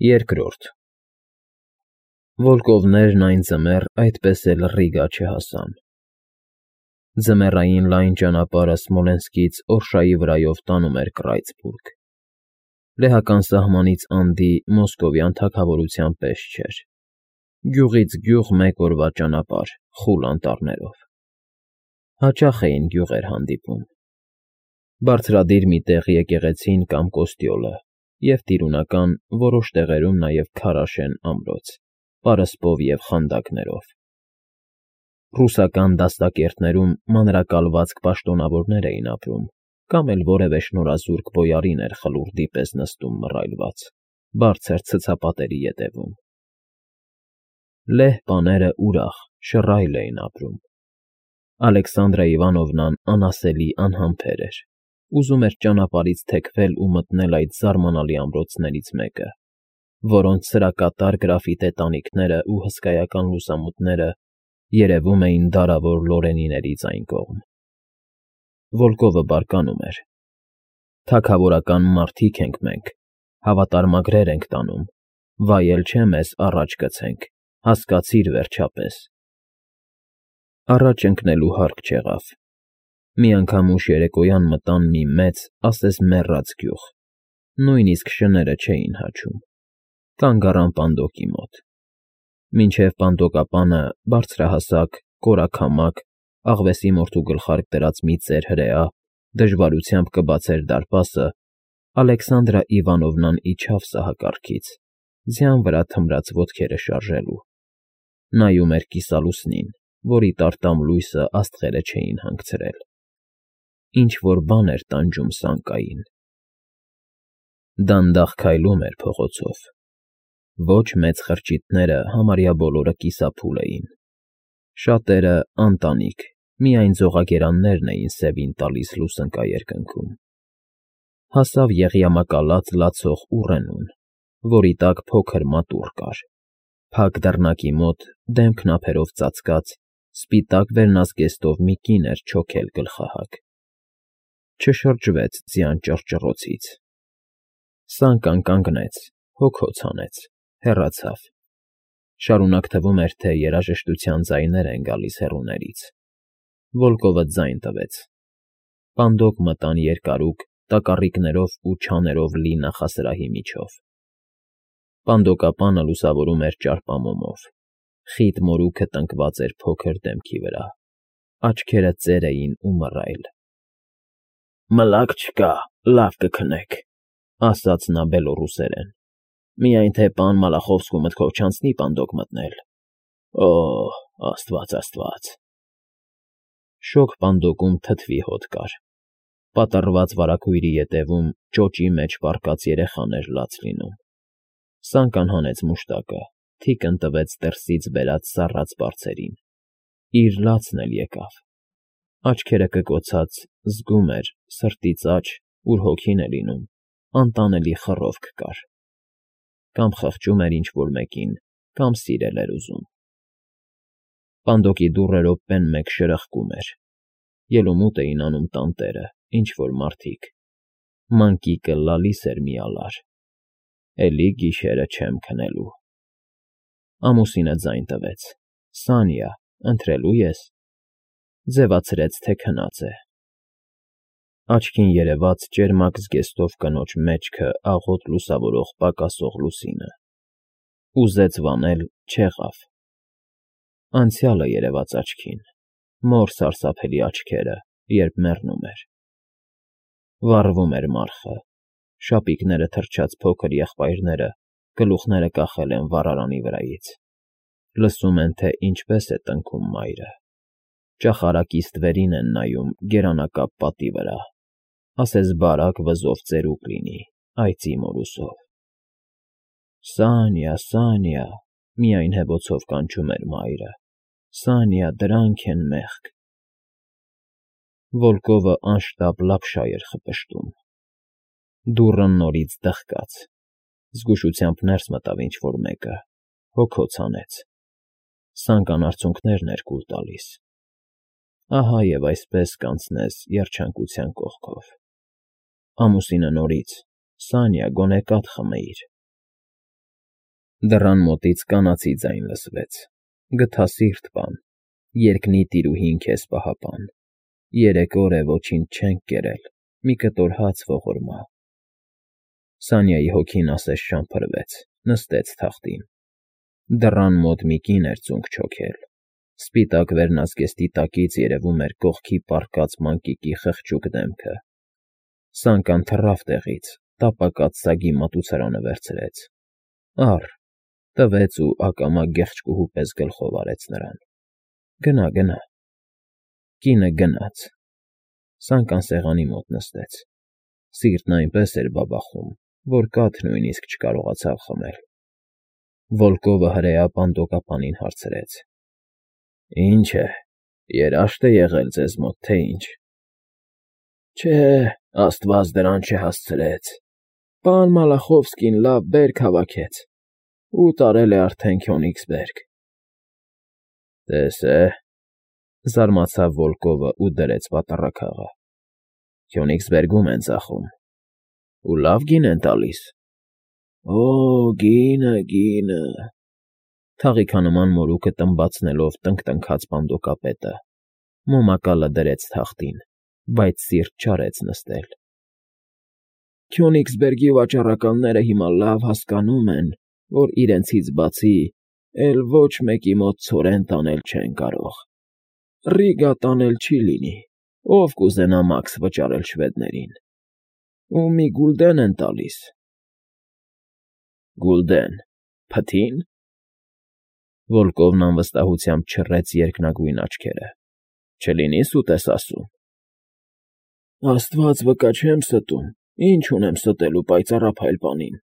Երկրորդ Վոլկովներն այն ձմեռ այդպես էլ Ռիգա չհասան։ Ձմեռային լայն ճանապարհը Սմոլենսկից Օրշայի վրայով տանում էր Կռայցբուրգ։ Լեհական սահմանից անդի մոսկովյան թագավորության պես չէր։ Գյուղից գյուղ մեկ օրվա ճանապարհ խուլ անտառներով։ Հաճախ էին գյուղեր հանդիպում։ Բարձրադիր մի տեղ եկեղեցին կամ կոստյոլը և տիրունական, որոշ տեղերում նաև քարաշեն ամրոց, պարսպով և խանդակներով։ Ռուսական դաստակերտներում մանրակալվածք պաշտոնավորներ էին ապրում, կամ էլ որևէ շնորհազուրկ բոյարին էր խլուրդի պես նստում մռայլված, բարձր ցցապատերի ետևում։ Լեհ պաները ուրախ, շռայլ էին ապրում։ Ալեքսանդրա Իվանովնան անասելի անհամբեր էր, ուզում էր ճանապարհից թեքվել ու մտնել այդ զարմանալի ամրոցներից մեկը, որոնց սրակատար գրաֆիտե տանիքներն ու հսկայական լուսամուտները երևում էին դարավոր Լորենիներից այն կողմ։ Վոլկովը բարկանում էր. «Թագավորական մարդիկ ենք մենք, հավատարմագրեր ենք տանում, վայել չէ մեզ առաջ գցենք, հասկացիր վերջապես»։ Առաջ ընկնելու հարկ չեղավ։ Մի անգամ ուշ երեկոյան մտան մի մեծ, ասես մեռած գյուղ, նույնիսկ շները չէին հաչում, կանգ առան պանդոկի մոտ։ Մինչև պանդոկապանը բարձրահասակ, կորաքամակ, աղվեսի մորթու գլխարկ դրած մի ծեր հրեա դժվարությամբ կբացեր դարպասը, Ալեքսանդրա Իվանովնան իջավ սահակարգից, ձյան վրա թմրած ոտքերը շարժելու։ Նայում էր կիսալուսնին, որի տարտամ լույսը աստղերը չէին հանգցրել։ Ինչ֊որ բան էր տանջում սանկային։ Դանդաղ քայլում էր փողոցով։ Ոչ մեծ խրճիթները համարյա բոլորը կիսափուլ էին։ Շատերը անտանիք, միայն ձողագերաններն էին սևին տալիս լուսնկա երկնքում։ Հասավ եղյամակալած լացող ուռենուն, որի տակ փոքր մատուռ կար, փակ դռնակի մոտ, դեմքն ափերով ծածկած, սպիտակ վերնազգեստով մի կին էր չոքել գլխահակ։ Չշրջվեց ձյան ճռճռոցից։ Սանկան կանգնեց, հոգոց հանեց, հեռացավ։ Շարունակ թվում էր, թե երաժշտության ձայներ են գալիս հեռուներից։ Վոլկովը ձայն տվեց։ Պանդոկ մտան երկարուկ, տակառիկներով ու չաներով լի նախասրահի միջով։ Պանդոկապանը լուսավորում էր ճարպամոմով։ Խիտ մորուքը տնկված էր փոքր դեմքի վրա։ Աչքերը ծեր էին ու մռայլ։ «Մլաք չկա, լավ կքնեք», ասաց նա բելոռուսերեն։ «Միայն թե պան Մալախովսկու մտքով չանցնի պանդոկ մտնել։ Օ՜, աստված, աստված»։ Շոգ պանդոկում թթվի հոտ կար։ Պատռված վարագույրի ետևում ճոճի մեջ պառկած երեխան էր լաց լինում։ Սանկան հանեց մուշտակը, թիկն տվեց դրսից բերած սառած բարձերին։ Իր լացն էլ եկավ։ Աչքերը կկոցած զգում էր, սրտից աջ, ուր հոգին է լինում, անտանելի խռովք կար։ Կամ խղճում էր ինչ֊որ մեկին, կամ սիրել էր ուզում։ Պանդոկի դուռը րոպեն մեկ շրխկում էր։ Ելումուտ էին անում տանտերը, ինչ֊որ մարդիկ։ Մանկիկը լալիս էր մի ալար։ Էլի գիշերը չեմ քնելու։ Ամուսինը ձայն տվեց. «Սանյա, ընթրելո՞ւ ես»։ Ձևացրեց, թե քնած է։ Աչքին երևաց ճերմակ զգեստով կնոջ մեջքը աղոտ լուսավորող պակասող լուսինը։ Ուզեց վանել, չեղավ։ Անցյալը երևաց աչքին, մոր սարսափելի աչքերը, երբ մեռնում էր։ Վառվում էր մառխը, շապիկները թրջած փոքր եղբայրները գլուխները կախել են վառարանի վրայից։ Լսում են, թե ինչպես է տնքում մայրը։ Ճախարակի ստվերին են նայում գերանակապ պատի վրա, ասես բարակ վզով ծերուկ լինի, այծի մորուսով։ «Սանյա, Սանյա», միայն հեվոցով կանչում էր մայրը։ «Սանյա, դրանք են մեղք»։ Վոլկովը անշտապ լապշա էր խպշտում։ Դուռը նորից դղկաց։ Զգուշությամբ ներս մտավ ինչ֊որ մեկը, հոգոց հանեց։ Սանկան արցունքներն էր կուլ տալիս։ Ահա և այսպես կանցնես երջանկության կողքով։ Ամուսինը նորից. «Սանյա, գոնե կաթ խմեիր»։ Դռան մոտից կանացի ձայն լսվեց. գթասիրտ բան, երկնի տիրուհին քեզ պահապան, 3 օր է ոչինչ չենք կերել, մի կտոր հաց ողորմա։ Սանյայի հոգին ասես շամփրվեց, նստեց թախտին։ Դռան մոտ մի կին էր ծունկ չոքել, սպիտակ վերնազգեստի տակից երևում էր կողքի պառկած մանկիկի խղճուկ դեմքը։ Սանկան թռավ տեղից, տապակած սագի մատուցարանը վերցրեց։ Առ, տվեց ու ակամա գեղչկուհու պես գլխով արեց նրան։ Գնա, գնա։ Կինը գնաց։ Սանկան սեղանի մոտ նստեց։ Սիրտն այնպես էր բաբախում, որ կաթ նույնիսկ չկարողացավ խմել։ Վոլկովը հրեա պանդոկապանին հարցրեց. Ինչ է, երաշտ է եղել ձեզ մոտ, թե ինչ։ Չէ, Աստված դրան չհասցրեց։ Պան Մալախովսկին լավ բերք հավաքեց ու տարել է արդեն Քյոնիգսբերգ։ Տես է, զարմացավ Վոլկովը ու դրեց պատառաքաղը։ Քյոնիգսբերգում են ծախում։ Ու լավ գին են տալիս։ Օ, գինը։ Թաղիքանման մորուքը տմբացնելով տնկտնքաց պանդոկապետը, մոմակալը դրեց թախտին, բայց սիրտ չարեց նստել։ Քյոնիգսբերգի վաճառականները հիմա լավ հասկանում են, որ իրենցից բացի էլ ոչ մեկի մոտ ցորեն տանել չեն կարող։ Ռիգա տանել չի լինի, ով կուզենա մաքս վճարել շվեդներին։ Ու մի գուլդեն են տալիս։ Գուլդեն, փթի՞ն։ Վոլկովն անվստահությամբ չռեց երկնագույն աչքերը։ Չլինի սուտ ես ասում։ Աստված վկա չեմ ստում, ինչ ունեմ ստելու պայծառափայլ պանին։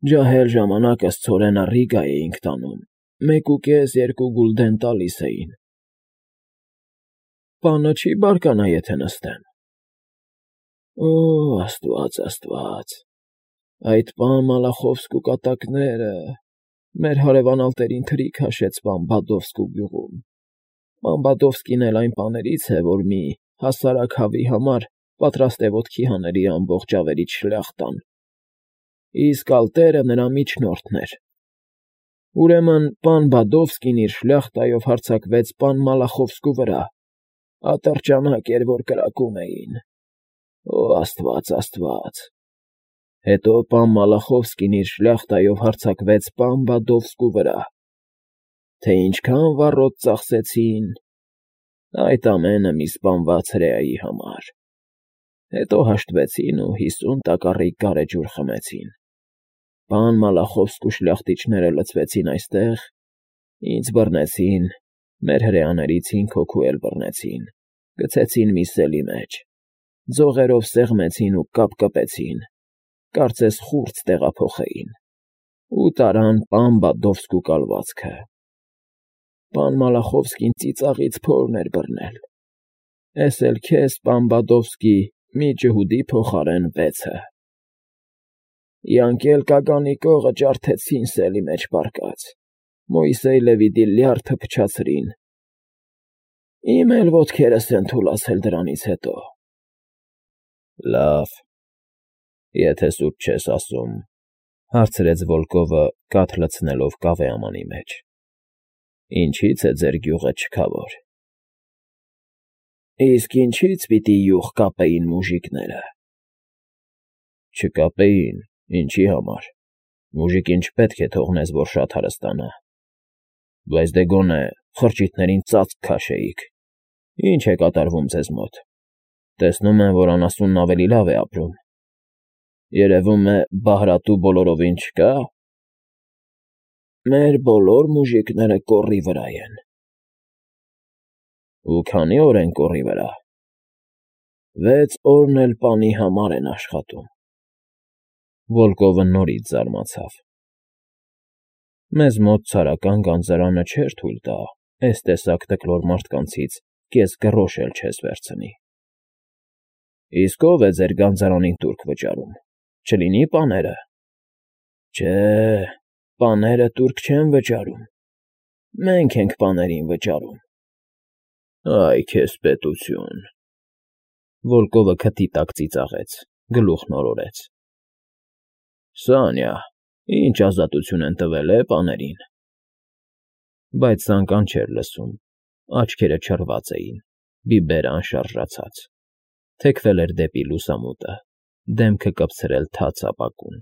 Ջահել ժամանակս ցորենը Ռիգա էինք տանում, 1.5-2 գուլդեն տալիս էին։ Պանը չի բարկանա, եթե նստեմ։ Օ, Աստված, այդ պան Մալախովսկու կատակները, մեր հարևանալտերին թրի քաշեց պան Բադովսկու գյուղում։ Պան Բադովսկին էլ այն պաներից է, որ մի հասարակ հավի համար պատրաստ է ոտքի հաների ամբողջ ավերիչ շլյախ տան։ Իսկ ալտերը նրա միջնորդն էր։ Ուրեմն պան Բադովսկին իր շլյախտայով հարձակվեց պան Մալախովսկու վրա, ատրճանակ էր, որ կրակում էին։ Օ, Աստված։ Հետո պան Մալախովսկին իր շլյախտայով հարձակվեց պան Բադովսկու վրա։ Թե ինչքան վառոդ ծախսեցին, այդ ամենը մի սպանված հրեայի համար։ Հետո հաշտվեցին ու 50 տակառիկ գարեջուր խմեցին։ Պան Մալախովսկու շլյախտիչները լցվեցին այստեղ, ինձ բռնեցին, մեր հրեաներից 5 հոգու էլ բռնեցին, գցեցին մի սելի մեջ, ձողերով սեղմեցին ու կապկպեցին, կարծես խուրձ տեղափոխեին, ու տարան պան Բադովսկու կալվածքը։ Պան Մալախովսկին ծիծաղից փորն էր բռնել։ Էս էլ քեզ, պան Բադովսկի, մի ջհուդի փոխարեն 6-ը։ Յանկել կագանի կողը ջարդեցին սելի մեջ պառկած, Մոյսեյ Լևիդի լյարդը փչացրին։ Իմ էլ ոտքերս են թուլացել դրանից հետո։ Լավ, եթե սուտ չես ասում, հարցրեց Վոլկովը կաթ լցնելով կավե ամանի մեջ։ Ինչի՞ց է ձեր գյուղը չքավոր։ Իսկ ինչի՞ց պիտի յուղ կապեին մուժիկները։ Չկապեին, ինչի համար։ Մուժիկին չպետք է թողնես, որ շատ հարստանա։ Բայց դե գոնե խրճիթներին ծածկ քաշեիք։ Ինչ է կատարվում ձեզ մոտ։ Տեսնում եմ, որ անասունն ավելի լավ է ապրում։ Երևում է Բահրատու բոլորովին չկա։ Մեր բոլոր մուժիկները կոռի վրա են։ Ու քանի՞ օր են կոռի վրա։ 6 օրն էլ պանի համար են աշխատում։ Վոլկովը նորից զարմացավ։ Մեզ մոտ ցարական գանձարանը չէր թույլ տա այս տեսակ տկլոր մարդկանցից կես գրոշ էլ չես վերցնի։ Իսկ ով է ձեր գանձարանին տուրք վճարում, չլինի պաները։ Չէ, պաները տուրք չեն վճարում։ Մենք ենք պաներին վճարում։ Այ քեզ պետություն։ Վոլկովը քթի տակ ծիծաղեց, գլուխն օրորեց։ Սանյա, Ինչ ազատություն են տվել պաներին։ Բայց Սանկան չէր լսում, աչքերը չռված էին, բիբերը անշարժացած, թեքվել էր դեպի լուսամուտը, դեմքը կպցրել թաց ապակուն։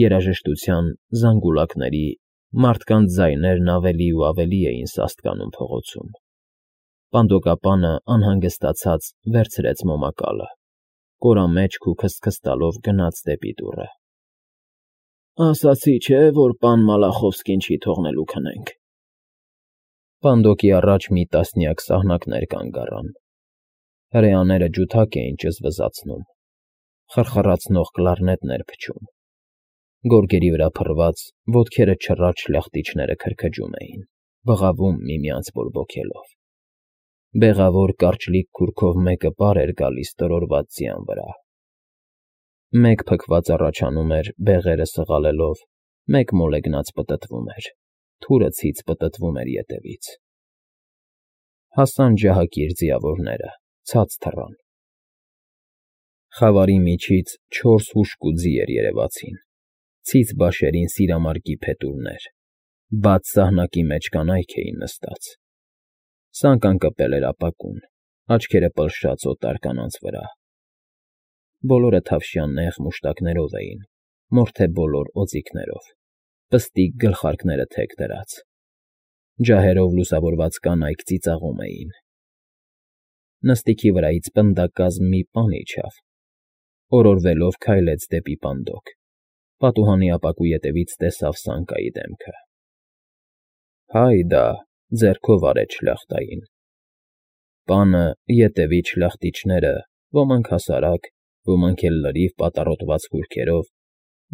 Երաժշտության, զանգուլակների, մարդկանց ձայներն ավելի ու ավելի էին սաստկանում փողոցում։ Պանդոկապանը անհանգստացած վերցրեց մոմակալը, կորամեջք ու քստքստալով գնաց դեպի դուռը։ Ասացի չէ, որ պան Մալախովսկին չի թողնելու քնենք։ Պանդոկի առաջ մի տասնյակ սահնակներ կանգ առան։ Հրեաները ջութակ էին ճզվզացնում, խրխռացնող կլարնետներ փչում։ Գորգերի վրա փռված, ոտքերը չռած շլախտիչները քրքջում էին, բղավում միմյանց բորբոքելով։ Բեղավոր կարճլիկ քուրքով մեկը պար էր գալիս տրորված ձյան վրա։ Մեկ փքված առաջանում էր բեղերը սղալելով, մեկ մոլեգնած պտտվում էր, թուրը ցից պտտվում էր ետևից։ Հասան ջահակիր ձիավորները, ցած թռան։ Խավարի միջից 4 հուժկու ձիեր երևացին, ցից բաշերին սիրամարգի փետուրներ, բաց սահնակի մեջ կանայք էին նստած։ Սանկան կպել էր ապակուն, աչքերը պլշած օտար կանանց վրա։ Բոլորը թավշյան նեղ մուշտակներով էին, մորթե բոլոր օձիքներով, պստիկ գլխարկները թեք դրած։ Ջահերով լուսավորված կանայք ծիծաղում էին։ Նստիքի վրայից պնդակազմ մի պան իջավ, օրորվելով քայլեց դեպի պանդոկ, պատուհանի ապակու ետևից տեսավ Սանկայի դեմքը։ Հայդա, ձեռքով արեց շլախտային։ Պանը ետևից շլախտիչները, ոմանք հասարակ, ոմանք էլ լրիվ պատառոտված կուրքերով,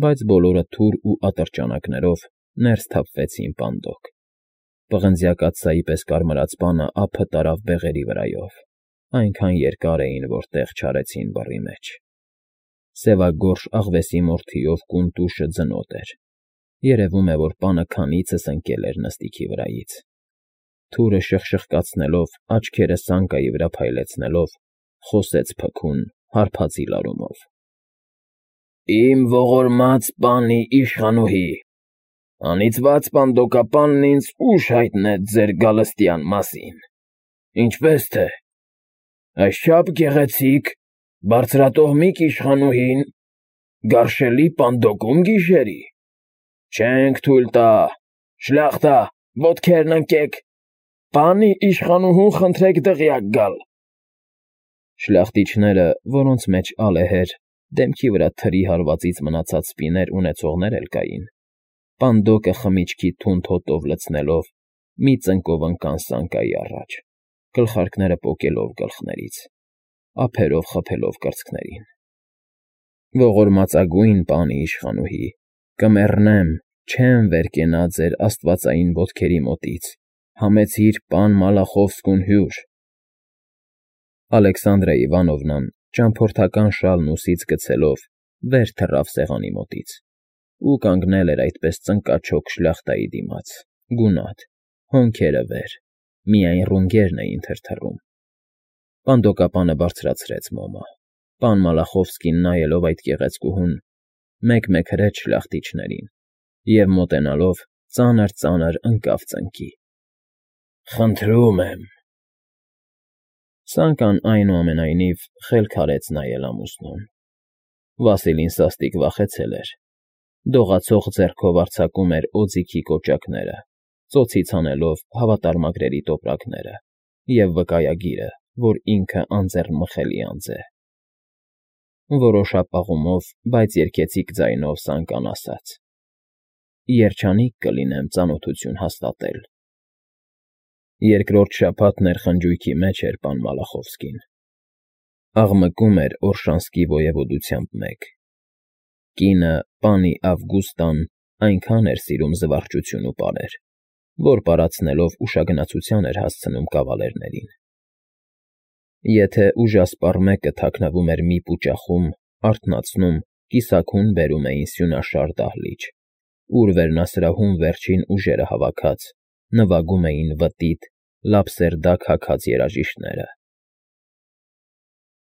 բայց բոլորը թուր ու ատրճանակներով ներս թափվեցին պանդոկ։ Պղնձյակաթսայի պես կարմրած պանը ափը տարավ բեղերի վրայով, այնքան երկար էին, որ տեղ չարեցին բռի մեջ։ Սևագորշ աղվեսի մորթիով կուն տուշը ձնոտ էր։ Երևում է, որ պանը քանիցս ընկել էր նստիքի վրայից։ Թուրը շխշխկացնելով, աչքերը Սանկայի վրա փայլեցնելով, խոսեց փքուն, հարբածի լարումով. Իմ ողորմած պանի իշխանուհի, անիծված պանդոկապանն ինձ ուշ հայտնեց ձեր գալստյան մասին, ինչպես թե, այսչափ գեղեցիկ, բարձրատոհմիկ իշխանուհին գարշելի պանդոկում գիշերի, չենք թույլ տա, շլախտա, ոտքերն ընկեք, պանի իշխանուհուն խնդրեք դղյակ գալ։ Շլախտիչները, որոնց մեջ ալեհեր, դեմքի վրա թրի հարվածից մնացած սպիներ ունեցողներ էլ կային, պանդոկը խմիչքի թունդ հոտով լցնելով, մի ծնկով ընկան Սանկայի առաջ, գլխարկները պոկելով գլխներից, ափերով խփելով կրծքներին։ Ողորմածագույն պանի իշխանուհի, կմեռնեմ, չեմ վեր կենա ձեր աստվածային ոտքերի մոտից, համեցիր պան Մալախովսկուն հյուր։ Ալեքսանդրա Իվանովնան ճամփորդական շալն ուսից գցելով վեր թռավ սեղանի մոտից ու կանգնել էր այդպես ծնկաչոք շլախտայի դիմաց, գունատ, հոնքերը վեր, միայն ռունգերն էին թրթռում։ Պանդոկապանը բարձրացրեց մոմը, պան Մալախովսկին նայելով այդ գեղեցկուհուն, մեկ-մեկ հրեց շլախտիչներին և մոտենալով ծանր ընկավ ծնկի։ Խնդրում եմ։ Սանկան այնուամենայնիվ խելք արեց նայել ամուսնուն։ Վասիլին սաստիկ վախեցել էր, դողացող ձեռքով արձակում էր օձիքի կոճակները, ծոցից հանելով հավատարմագրերի տոպրակները և վկայագիրը, որ ինքը անձեռնմխելի անձ է։ Որոշապաղումով, բայց երգեցիկ ձայնով Սանկան ասաց. Երջանիկ կլինեմ ծանոթություն հաստատել։ Երկրորդ շաբաթն էր խնջույքի մեջ էր պան Մալախովսկին։ Աղմկում էր Օրշանսկի ոևոդությամբ մեկ։ Կինը, պանի Ավգուստան, այնքան էր սիրում զվարճություն ու պարեր, որ պարացնելով ուշագնացության էր հասցնում կավալերներին։ Եթե ուժասպառ մեկը թաքնվում էր մի պուճախում, արթնացնում, կիսաքուն բերում էին սյունաշար դահլիճ, ուր վերնասրահում վերջին ուժերը հավաքած, նվագում էին վտիտ, լապսերդակ հագած երաժիշտները։